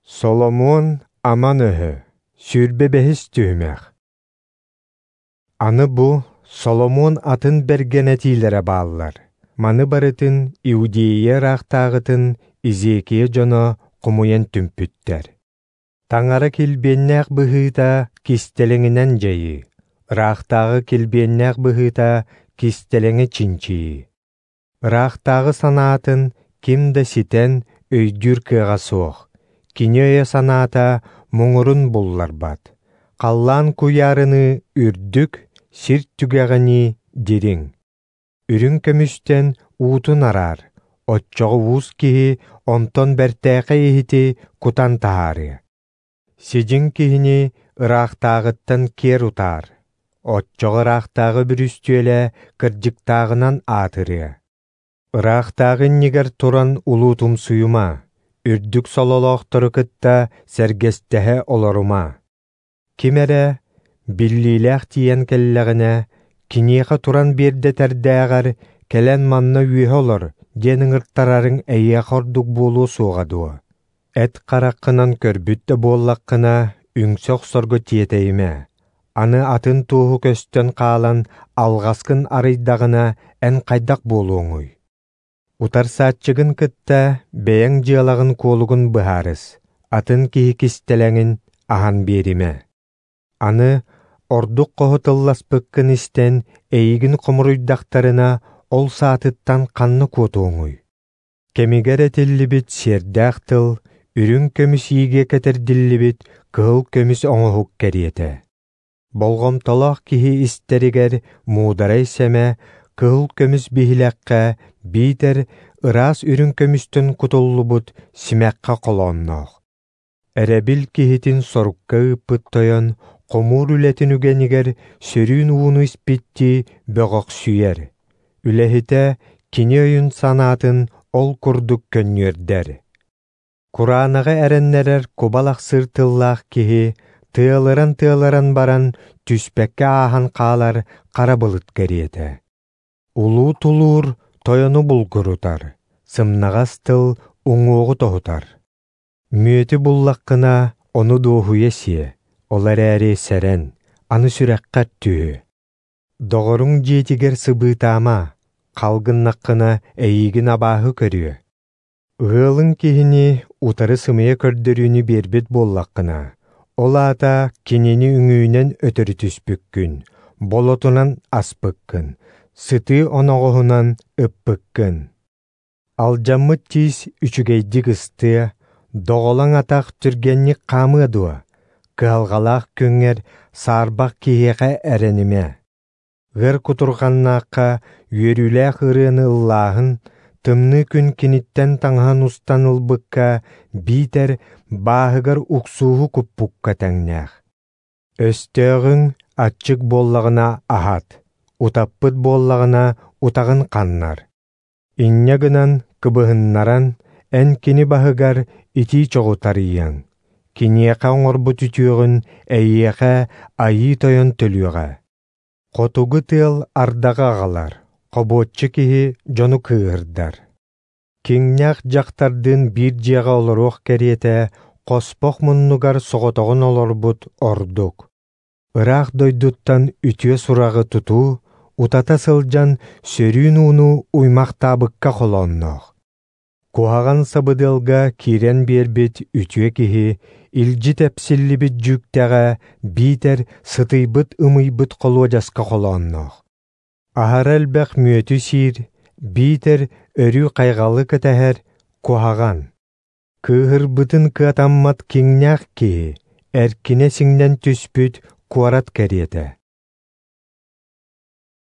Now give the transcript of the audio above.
Соломуон аман өһө, 25-ис түһүмэх. Аны бу Соломуон атын бэргэн этиилэрэ бааллар. Маны барытын Иудея ыраахтааҕытын Изекия дьоно хомуйан түмпүттэр. Таҥара килбиэннээх быһыыта кистэлэҥинэн дьайыы, ыраахтааҕы килбиэннээх быһыыта кистэлэҥи чинчийии. Ыраахтааҕы санаатын ким да ситэн өйдүүр кыаҕа суох. Кини өйө-санаата муҥурун булларбат. Халлаан куйаарыныы үрдүк, сир түгэҕинии дириҥ. Үрүҥ көмүстэн уутун араар, оччоҕо уус киһи онтон бэртээхэй иһити кутан таһаарыа. Сидьиҥ киһини ыраахтааҕыттан киэр утаар, оччоҕо ыраахтааҕы бүрүстүөлэ кырдьыктааҕынан аатырыа. Ыраахтааҕы иннигэр туран улуутумсуйума, үрдүк сололоохтору кытта сэргэстэһэ олорума. Ким эрэ биллиилээх тиийэн кэллэҕинэ, киниэхэ туран биэрдэтэрдээҕэр кэлэн манна үөһэ олор диэн ыҥыртарарыҥ эйиэхэ ордук буолуо суоҕа дуо? Эт хараххынан көрбүт да буоллаххына, үҥсэ охсорго тиэтэйимэ. Аны атын туоһу көстөн хаалан алҕаскын арыйдаҕына, эн хайдах буолуоҥуй? Утарсааччыгын кытта бэйэҥ дьыалаҕын-куолугун быһаарыс, атын киһи кистэлэҥин аһан биэримэ. Аны ордук хоһу тылласпыккын истэн, эйигин хомуруйдахтарына, ол саатыттан ханна куотуоҥуй? Кэмигэр этиллибит сиэрдээх тыл үрүҥ көмүс иигэ кэтэрдиллибит кыһыл көмүс оҥоһук кэриэтэ. Болҕомтолоох киһи истэригэр муударай сэмэ кыһыл көмүс биһилэххэ биитэр ыраас үрүҥ көмүстэн кутуллубут симэххэ холоонноох. Эрэбил киһитин сорукка ыыппыт тойон хомуур үлэтин үгэнигэр сөрүүн ууну испиттии бөҕөхсүйэр. Үлэһитэ кини өйүн-санаатын ол курдук көнньүөрдэр. Кураанаҕы эрэннэрэр кубалахсыыр тыллаах киһи тыалыран-тыалыран баран түспэккэ ааһан хаалар хара былыт кэриэтэ. Улуу тулуур тойону булгурутар, сымнаҕас тыл уҥуоҕу тоһутар. Мүөтү буллаххына, ону дуоһуйа сиэ, ол эрээри сэрэн, аны сүрэххэр түһүө. Доҕоруҥ дьиэтигэр сыбыытаама, хал гыннаххына эйиигин абааһы көрүө. Ыалыҥ киһини утары сымыйа көрдөрүүнү биэрбит буоллаххына, ол аата кинини үҥүүнэн өтөрү түспүккүн, болотунан аспыккын, сытыы оноҕоһунан ыппыккын. Алдьаммыт тиис үчүгэйдик ыстыа, доҕолоҥ атах түргэнник хаамыа дуо? Кыһалҕалаах күҥҥэр саарбах киһиэхэ эрэнимэ. Ыар кутурҕаннаахха үөрүүлээх ырыаны ыллааһын, тымныы күн киниттэн таҥаһын устан ылбыкка биитэр бааһыгар уксууһу куппукка тэҥнээх. Өстөөҕүҥ аччык буоллаҕына аһат, утаппыт буоллаҕына утаҕын ханнар. Инньэ гынан кыбыһыннаран, эн кини баһыгар итии чоҕу тарыйыаҥ. Киниэхэ оҥорбут үтүөҕүн эйиэхэ Айыы Тойон төлүөҕэ. Хотугу тыал ардаҕы аҕалар, хобуоччу киһи дьону кыыһырдар. Киҥнээх дьахтардыын биир дьиэҕэ олоруох кэриэтэ, хоспох муннугар соҕотоҕун олорбут ордук. Ыраах дойдуттан үтүө сураҕы тутуу, утата сылдьан сөрүүн ууну уймахтаабыкка холоонноох. Куһаҕан сабыдыалга киирэн биэрбит үтүө киһи илдьи тэпсиллибит дьүүктэҕэ биитэр сытыйбыт ымыйбыт холуодьаска холоонноох. Аһара элбэх мүөтү сиир, биитэр өрүү хайҕалы кэтэһэр куһаҕан. Кыыһырбытын кыатаммат киҥнээх киһи эркинэ сиҥнэн түспүт куорат кэриэтэ.